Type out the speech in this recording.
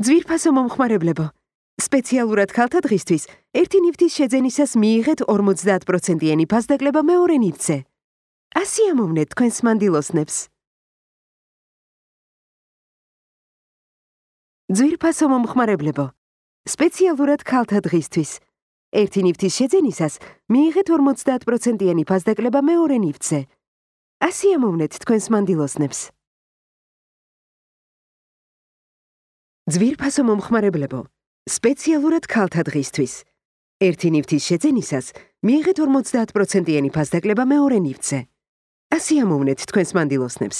ძვირფასო მომხმარებლებო, სპეციალურად ქალთა დღისთვის ერთი ნივთის შეძენისას მიიღეთ 50%-იანი ფასდაკლება მეორე ნივთზე. ასიამოვნეთ თქვენს მანდილოსნებს. ძვირფასო მომხმარებლებო, სპეციალურად ქალთა დღისთვის ერთი ნივთის შეძენისას მიიღეთ 50%-იანი ფასდაკლება მეორე ნივთზე. ასიამოვნეთ თქვენს მანდილოსნებს. ძვირფასო მომხმარებლებო, სპეციალურად ქალთა დღისთვის ერთი ნივთის შეძენისას მიიღეთ 50%-იანი ფასდაკლება მეორე ნივთზე. ასიამოვნეთ თქვენს მანდილოსნებს.